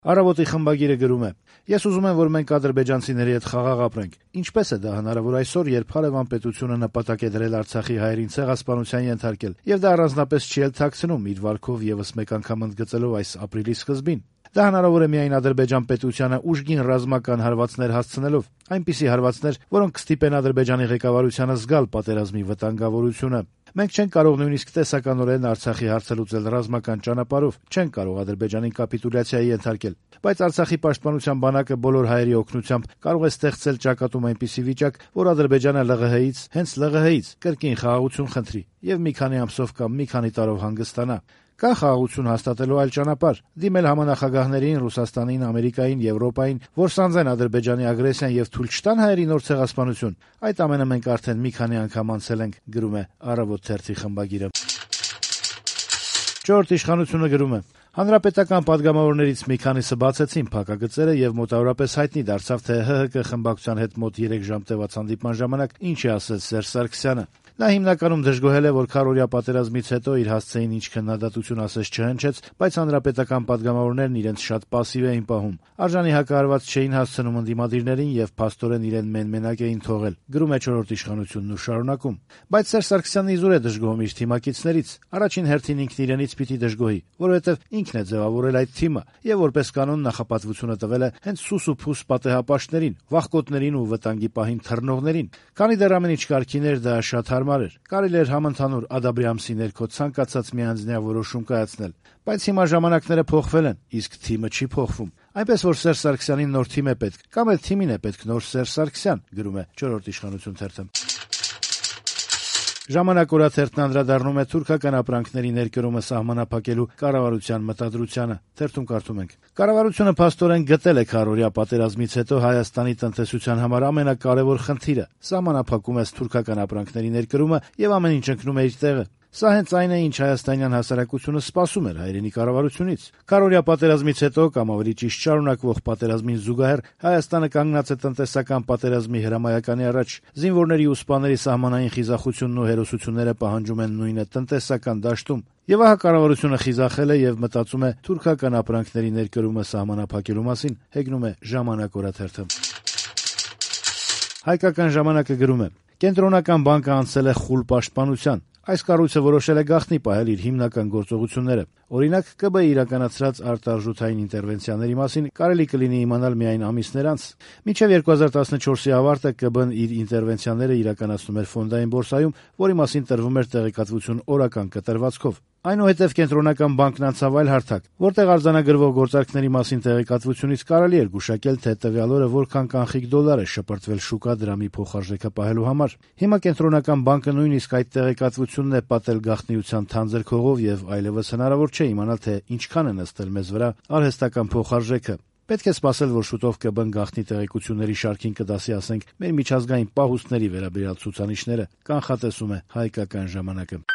Առավոտի խմբագիրը գրում է. «Ես ուզում եմ, որ մենք ադրբեջանցիների հետ խաղաղ ապրենք։ Ինչպես է դա հնարավոր այսօր, երբ հարևան պետությունը նպատակ է դրել Արցախի հայերին ցեղասպանության ենթարկել, եւ դա առանձնապես չի էլ թաքցնում իր վարքով եւս մեկ անգամ ընդգծելով այս ապրիլի սկզբին։ Դա հնարավոր է միայն Ադրբեջան պետությանը ուժգին ռազմական հարվածներ հասցնելով, այնպիսի հարվածներ, որոնք կստիպեն Ադրբեջանի ղեկավարությանը զգալ պատերազմի վտանգավորությունը։ Մենք չենք կարող նույնիսկ տեսականորեն Արցախի հարցը լուծել ռազմական ճանապարհով, չենք կարող Ադրբեջանին կապիտուլյացիայի ենթարկել, բայց Արցախի պաշտպանության բանակը բոլոր հայերի օգնությամբ կարող է ստեղծել ճակատում այնպիսի վիճակ, որ Ադրբեջանը ԼՂՀ-ից, հենց ԼՂՀ-ից կրկին խաղաղություն խնդրի եւ մի քանի ամսով կամ մի քանի տարով հանգստանա։ Կա խաղաղություն հաստատելու այլ ճանապարհ՝ դիմել համանախագահներին, Ռուսաստանին, Ամերիկային, Եվրոպային, որ սանձեն Ադրբեջանի ագրեսիան եւ թույլ չտան հայերի նոր ցեղասպանություն։ Այդ ամենը մենք արդեն մի քանի անգամ անցել ենք», գրում է Առավոտ թերթի խմբագիրը։ Չորրորդ իշխանությունը գրում է. «Հանրապետական падգամավորներից մի քանիսը բացեցին փակագծերը եւ մոտավորապես հայտնի դարձավ, թե ՀՀԿ խմբակցության հետ մոտ 3 ժամ տևած հանդիպման ժամանակ ինչ է ասել Սերժ Սարգսյանը։ Նա հիմնականում դժգոհել է, որ քառօրյա պատերազմից հետո իր հասցեին ինչ քննադատություն ասես չհնչեց, բայց հանրապետական падգամավորներն իրենց շատ պասիվ էին պահում, արժանի հակահարված չէին հասցնում ընդդիմադիրներին եւ փաստորեն իրեն մեն-մենակ էին թողել», գրում է Չորրորդ իշխանությունն ու շարունակում. «Բայց Սերժ Սարգսյանն իզուր է դժգոհում իր թիմակիցներից։ Առաջին հերթին ինքն իրենից պիտի դժգոհի, որովհետեւ ինքն է ձեւավորել այդ թիմը եւ որպես կանոն նախապատվությունը տվել է հենց սուս ու փուս պատեհապաշտներին, վախկոտներին ու վտանգի պահին թռնողներին։ Քանի դեռ ամեն ինչ կարգին էր, դա շատ հարմար էր։ Կարելի էր համընդհանուր ադաբրիամսի ներքո ցանկացած միանձնյա որոշում կայացնել։ Բայց հիմա ժամանակները փոխվել են, իսկ թիմը չի փոխվում։ Այնպես որ Սերժ Սարգսյանին նոր թիմ է պետք, կամ էլ թիմին է պետք նոր Սերժ Սարգսյան», գրում է Չորրորդ իշխանություն թերթը։ Ժամանակ օրաթերթն անդրադառնում է թուրքական ապրանքների ներկրումը սահմանափակելու կառավարության մտադրությանը։ Թերթում կարդում ենք. «Կառավարությունը փաստորեն գտել է քառօրյա պատերազմից հետո Հայաստանի տնտեսության համար ամենակարևոր խնդիրը՝ սահմանափակում է թուրքական ապրանքների ներկրումը եւ ամեն ինչ ընկնում է իր տեղը։ Սա հենց այն է, ինչ հայաստանյան հասարակությունը սպասում էր հայրենի կառավարությունից։ Քառօրյա պատերազմից հետո, կամ ավելի ճիշտ շարունակվող պատերազմին զուգահեռ, Հայաստանը կանգնած է տնտեսական պատերազմի հրամայականի առաջ։ Զինվորների ու սպաների սահմանային խիզախությունն ու հերոսությունները պահանջում են նույնը տնտեսական դաշտում։ Եվ ահա կառավարությունը խիզախել է եւ մտածում է թուրքական ապրանքների ներկրումը սահմանափակելու մասին», հեգնում է Ժամանակ օրաթերթը։ Հայկական ժամանակը գրում է. «Կենտրոնական բանկը անցել է խուլ պաշտպանության։ Այս կառույցը որոշել է գաղտնի պահել իր հիմնական գործողությունները։ Օրինակ, ԿԲ-ի իրականացրած արտարժութային ինտերվենցիաների մասին կարելի կլինի իմանալ միայն ամիսներ անց։ Մինչև 2014-ի ավարտը ԿԲ-ն իր ինտերվենցիաները իրականացնում էր ֆոնդային բորսայում, որի մասին տրվում էր տեղեկատվություն օրական կտրվածքով։ Այնուհետև Կենտրոնական բանկն անցավ այլ հարթակ, որտեղ արձանագրվող գործարքների մասին տեղեկատվությունից կարելի էր գուշակել, թե տվյալ օրը որքան կանխիկ դոլար է շպրտվել շուկա դրամի փոխարժեքը պահելու համար։ Հիմա Կենտրոնական բանկը նույնիսկ այդ տեղեկատվությունն է պատել գաղտնիության թանձր քողով եւ այլևս հնարավոր չէ իմանալ, թե ինչքան է նստել մեզ վրա արհեստական փոխարժեքը։ Պետք է սպասել, որ շուտով ԿԲ-ն գաղտնի տեղեկությունների շարքին կդասի, ասենք, մեր միջազգային պահուստների վերաբերյալ ցուցանիշները», կանխատեսում է Հայկական ժամանակը։